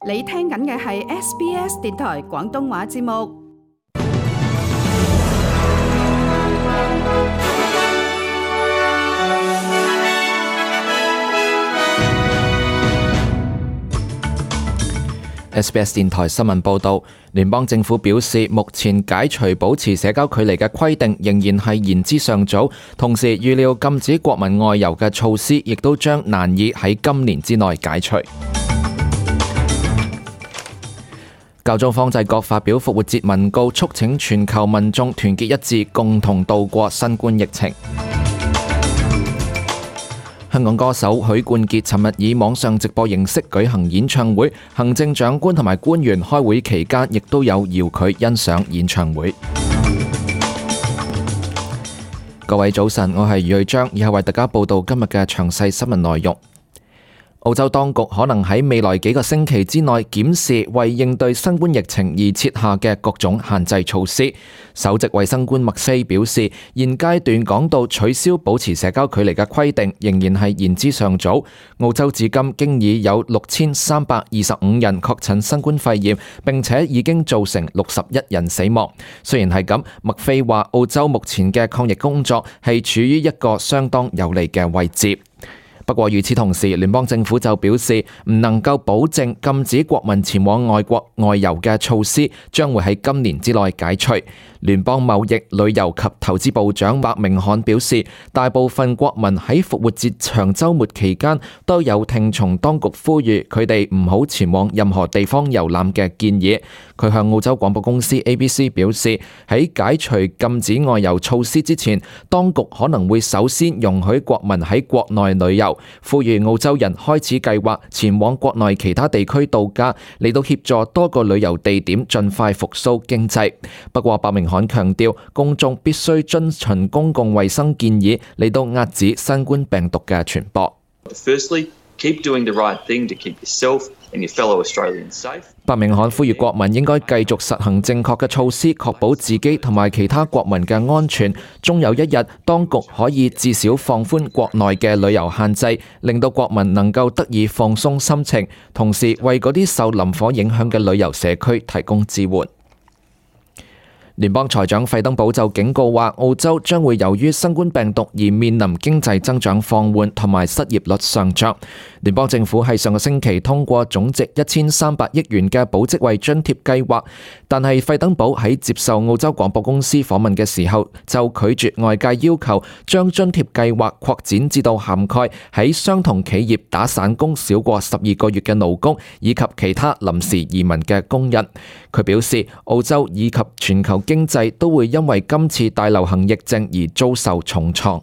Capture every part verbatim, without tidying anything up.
你聽緊嘅係 S B S 電台廣東話節目。S B S 電台新聞報導，聯邦政府表示，目前解除保持社交距離嘅規定仍然係言之尚早，同時預料禁止國民外遊嘅措施亦都將難以喺今年之內解除。教宗方濟各發表復活節文告，促請全球民眾團結一致，共同渡過新冠疫情。香港歌手許冠傑尋日以網上直播形式舉行演唱會，行政長官同埋官員開會期間亦都有遙距欣賞演唱會。各位早晨，我係余瑞章，以後為大家報道今日嘅詳細新聞內容。澳洲當局可能喺未來幾個星期之內檢視為應對新冠疫情而設下嘅各種限制措施。首席衛生官麥菲表示，現階段講到取消保持社交距離嘅規定，仍然係言之尚早。澳洲至今經已有六千三百二十五人確診新冠肺炎，並且已經造成六十一人死亡。雖然係咁，麥菲話澳洲目前嘅抗疫工作係處於一個相當有利嘅位置。不過與此同時，聯邦政府就表示唔能夠保證禁止國民前往外國外遊嘅措施將會喺今年之內解除。聯邦貿易、旅遊及投資部長白明漢表示，大部分國民喺復活節長週末期間都有聽從當局呼籲佢哋唔好前往任何地方遊覽嘅建議。佢向澳洲廣播公司 A B C 表示，喺解除禁止外遊措施之前，當局可能會首先容許國民喺國內旅遊，呼籲澳洲人開始計劃前往國內其他地區度假，嚟到協助多個旅遊地點盡快復甦經濟。不過白明漢強調，公眾必須遵循公共衛生建議嚟到遏止新冠病毒嘅傳播。Firstly, keep doing the right thing to keep yourself and your fellow Australians safe. 白明漢呼籲國民應該繼續實行正確嘅措施，確保自己同埋其他國民嘅安全。終有一日，當局可以至少放寬國內嘅旅遊限制，令到國民能夠得以放鬆心情，同時為嗰啲受林火影響嘅旅遊社區提供支援。聯邦財長費登堡就警告話，澳洲將會由於新冠病毒而面臨經濟增長放緩同埋失業率上漲。聯邦政府喺上個星期通過總值一千三百億元嘅保職位津貼計劃，但係費登堡喺接受澳洲廣播公司訪問嘅時候，就拒絕外界要求將津貼計劃擴展至到涵蓋喺相同企業打散工少過十二個月嘅勞工，以及其他臨時移民嘅工人。佢表示，澳洲以及全球經濟都會因為今次大流行疫症而遭受重創。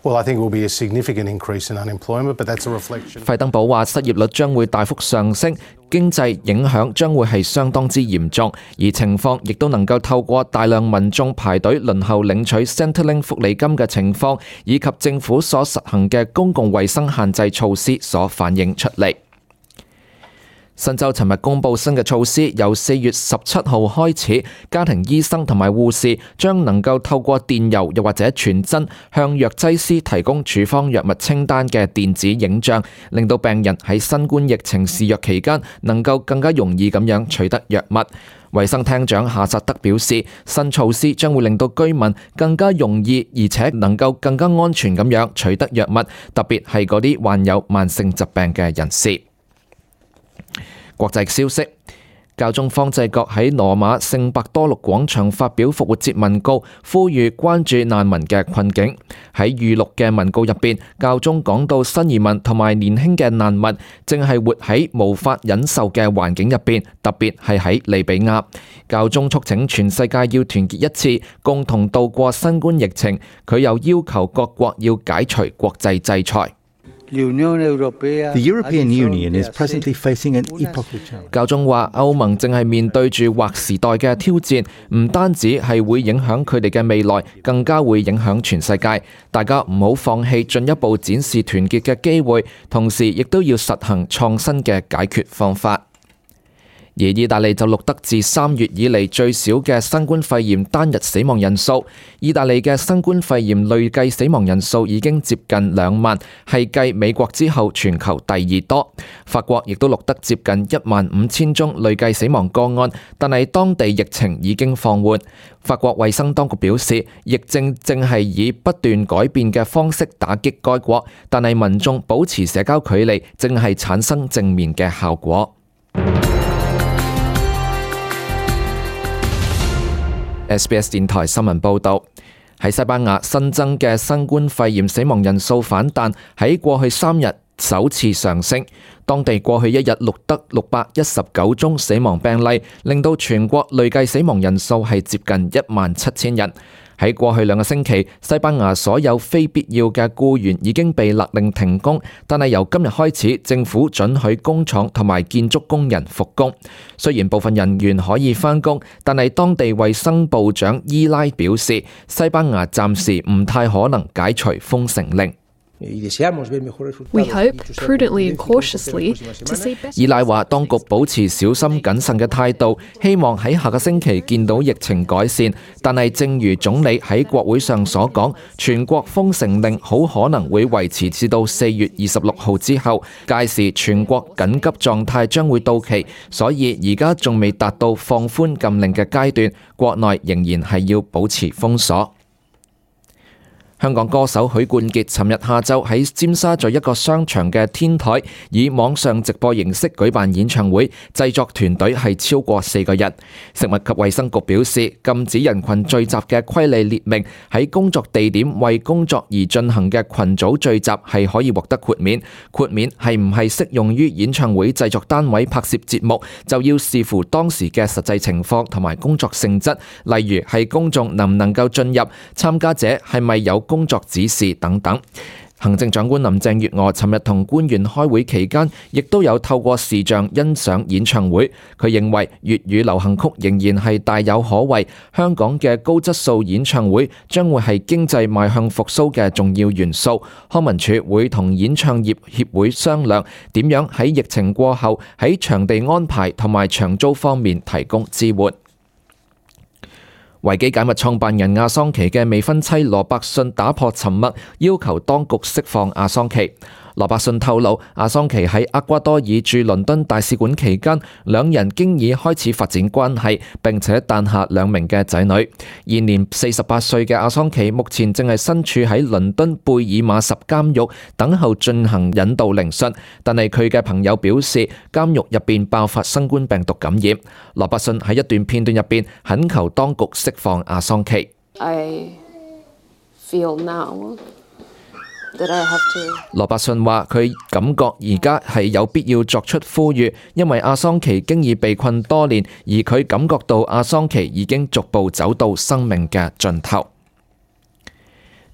Well, I think it will be a significant increase in unemployment, but that's a reflection. 費登堡話，失業率將會大幅上升，經濟影響將會係相當之嚴重，而情況亦都能夠透過大量民眾排隊輪候領取 Centrelink 福利金嘅情況，以及政府所實行嘅公共衛生限制措施所反映出嚟。新州尋日公布新嘅措施，由四月十七號開始，家庭醫生同埋護士將能夠透過電郵又或者傳真向藥劑師提供處方藥物清單嘅電子影像，令到病人喺新冠疫情肆虐期間能夠更加容易咁樣取得藥物。衛生廳長夏薩德表示，新措施將會令到居民更加容易而且能夠更加安全咁樣取得藥物，特別係嗰啲患有慢性疾病嘅人士。國際消息，教宗方濟各喺羅馬聖伯多祿廣場發表復活節文告，呼籲關注難民嘅困境。喺預錄嘅文告入邊，教宗講到新移民同埋年輕嘅難民正係活喺無法忍受嘅環境入邊，特別係喺利比亞。教宗促請全世界要團結一致，共同渡過新冠疫情。佢又要求各國要解除國際制裁。The European Union is presently facing an epochal challenge. 教宗話歐盟正係面對住劃時代嘅挑戰，唔單止係會影響佢哋嘅未來，更加會影響全世界。大家唔好放棄進一步展示團結嘅機會，同時亦都要實行創新嘅解決方法。而意大利就錄得自三月以嚟最少嘅新冠肺炎單日死亡人數。意大利嘅新冠肺炎累計死亡人數已經接近兩萬，係繼美國之後全球第二多。法國亦都錄得接近一萬五千宗累計死亡個案，但係當地疫情已經放緩。法國衛生當局表示，疫症正係以不斷改變嘅方式打擊該國，但係民眾保持社交距離正係產生正面嘅效果。S B S 電台新聞報導，喺西班牙新增嘅新冠肺炎死亡人數反彈，喺過去三日首次上升。當地過去一日錄得六百一十九宗死亡病例，令到全國累計死亡人數係接近一萬七千人。喺過去兩個星期，西班牙所有非必要嘅僱員已經被勒令停工，但係由今日開始，政府准許工廠同埋建築工人復工。雖然部分人員可以返工，但係當地衛生部長伊拉表示，西班牙暫時唔太可能解除封城令。We hope, prudently and cautiously, to see better. 伊拉話，當局保持小心謹慎嘅態度，希望喺下個星期見到疫情改善。但係正如總理喺國會上所講，全國封城令好可能會維持至到四月二十六號之後，屆時全國緊急狀態將會到期，所以而家仲未達到放寬禁令嘅階段，國內仍然係要保持封鎖。香港歌手許冠傑尋日下晝喺尖沙咀一個商場嘅天台以網上直播形式舉辦演唱會，製作團隊係超過四個人。食物及衛生局表示，禁止人群聚集嘅規例列明，喺工作地點為工作而進行嘅群組聚集係可以獲得豁免。豁免係唔係適用於演唱會製作單位拍攝節目，就要視乎當時嘅實際情況同埋工作性質，例如係公眾能唔能夠進入，參加者係咪有工作指示等等。行政長官林鄭月娥尋日同官員開會期間，亦都有透過視像欣賞演唱會。佢認為粵語流行曲仍然係大有可為，香港嘅高質素演唱會將會係經濟邁向復甦嘅重要元素。康文署會同演唱業協會商量點樣喺疫情過後喺場地安排同埋長租方面提供支援。維基解密創辦人阿桑奇嘅未婚妻羅伯遜打破沉默，要求當局釋放阿桑奇。羅伯遜透露，阿桑奇喺厄瓜多爾駐倫敦大使館期間，兩人經已開始發展關係，並且誕下兩名嘅仔女。現年四十八歲嘅阿桑奇目前正係身處喺倫敦貝爾馬什監獄，等候進行引導聆訊。但係佢嘅朋友表示，監獄入邊爆發新冠病毒感染。羅伯遜喺一段片段入邊懇求當局釋放阿桑奇。I feel now that I have to... 羅伯遜話：佢感覺而家係有必要作出呼籲，因為阿桑奇經已被困多年，而佢感覺到阿桑奇已經逐步走到生命嘅盡頭。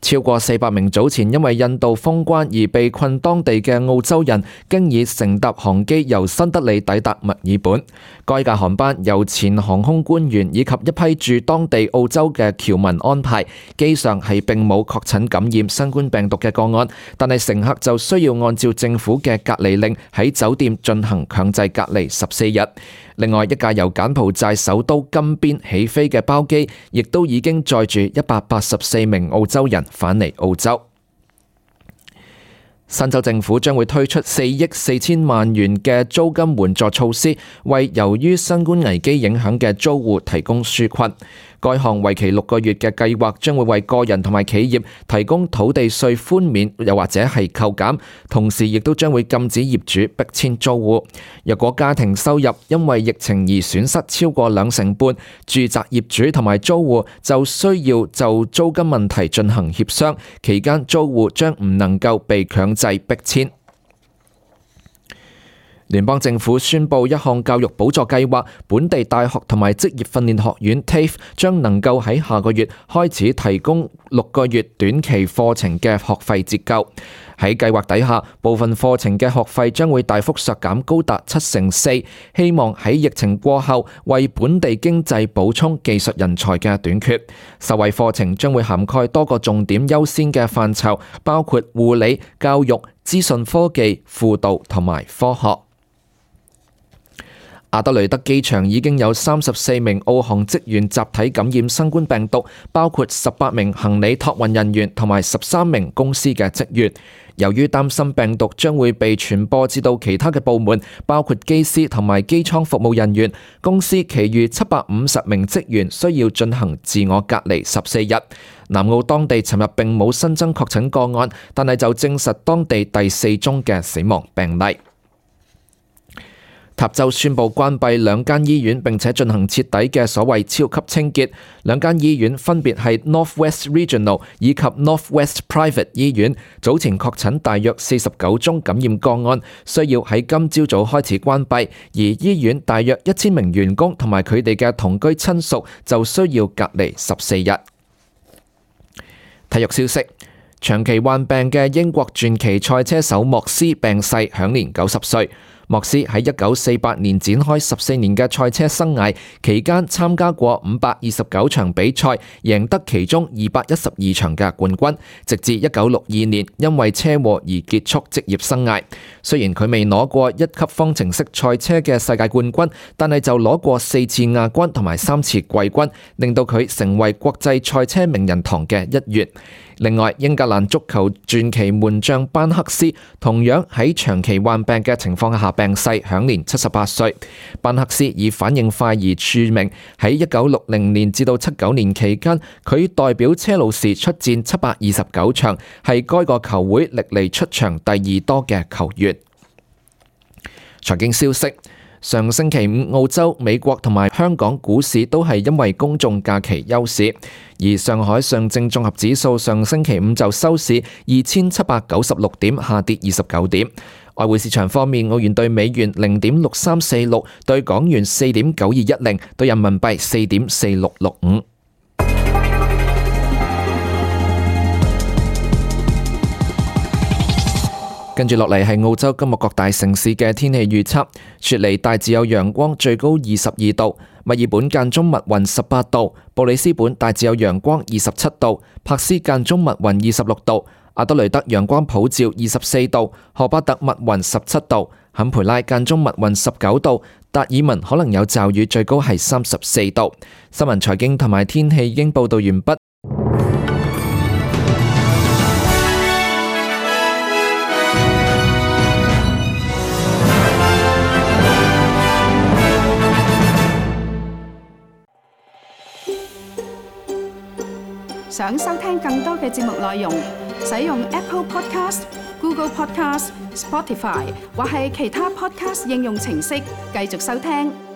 超過四百名早前因為印度封關而被困當地嘅澳洲人，經已乘搭航機由新德里抵達墨爾本。該架航班由前航空官員以及一批駐當地澳洲嘅僑民安排，機上係並冇確診感染新冠病毒嘅個案，但係乘客就需要按照政府嘅隔離令喺酒店進行強制隔離十四日。另外一架由柬埔寨首都金邊起飛嘅包機，亦都已經載住一百八十四名澳洲人返嚟澳洲。新州政府將會推出四億四千萬元嘅租金援助措施，為由於新冠危機影響嘅租戶提供紓困。該項為期六個月嘅計劃將會為個人同埋企業提供土地稅寬免，又或者係扣減，同時亦都將會禁止業主逼遷租戶。若果家庭收入因為疫情而損失超過兩成半，住宅業主同埋租戶就需要就租金問題進行協商，期間租戶將唔能夠被強制逼遷。聯邦政府宣布一項教育補助計劃，本地大學同埋職業訓練學院 T A F E 將能夠喺下個月開始提供六個月短期課程嘅學費折舊。喺計劃底下，部分課程嘅學費將會大幅削減高達七成四，希望喺疫情過後為本地經濟補充技術人才嘅短缺。受惠課程將會涵蓋多個重點優先嘅範疇，包括護理、教育、資訊科技、輔導同埋科學。阿德雷德機場已經有三十四名澳航職員集體感染新冠病毒，包括十八名行李託運人員同埋十三名公司嘅職員。由於擔心病毒將會被傳播至到其他嘅部門，包括機師同埋機艙服務人員，公司其餘七百五十名職員需要進行自我隔離十四日。南澳當地尋日並冇新增確診個案，但係就證實當地第四宗嘅死亡病例。塔州宣布關閉兩間醫院，並且進行徹底嘅所謂超級清潔。兩間醫院分別係 Northwest Regional 以及 Northwest Private 醫院，早前確診大約四十九宗感染個案，需要喺今朝早開始關閉。而醫院大約一千名員工同埋佢哋嘅同居親屬就需要隔離十四日。體育消息。長期患病嘅英國傳奇賽車手莫斯病逝，享年九十歲。莫斯喺一九四八年展開十四年嘅賽車生涯，期間參加過五百二十九場比賽，贏得其中二百一十二場嘅冠軍，直至一九六二年因為車禍而結束職業生涯。雖然佢未攞過一級方程式賽車嘅世界冠軍，但係就攞過四次亞軍同埋三次季軍，令到佢成為國際賽車名人堂嘅一員。另外，英格蘭足球傳奇門將班克斯同樣喺長期患病嘅情況下病逝，享年七十八歲。班克斯以反應快而著名，喺一九六零年至到七九年期間，佢代表車路士出戰七百二十九場，係該個球會歷嚟出場第二多嘅球員。財經消息。上星期五，澳洲、美國同埋香港股市都係因為公眾假期休市，而上海上證綜合指數上星期五就收市二千七百九十六點，下跌二十九點。外匯市場方面，澳元對美元零點六三四六，對港元四點九二一零，對人民幣四點四六六五。跟住落嚟係澳洲今日各大城市嘅天氣預測。雪梨大致有陽光，最高二十二度；墨爾本間中密雲十八度；布里斯本大致有陽光二十七度；柏斯間中密雲二十六度；阿德雷德陽光普照二十四度；荷巴特密雲十七度；坎培拉間中密雲十九度；達爾文可能有驟雨，最高係三十四度。新聞財經同埋天氣已經報道完畢。想收聽更多嘅節目內容，使用 Apple Podcast、Google Podcast、Spotify 或係其他 Podcast 應用程式繼續收聽。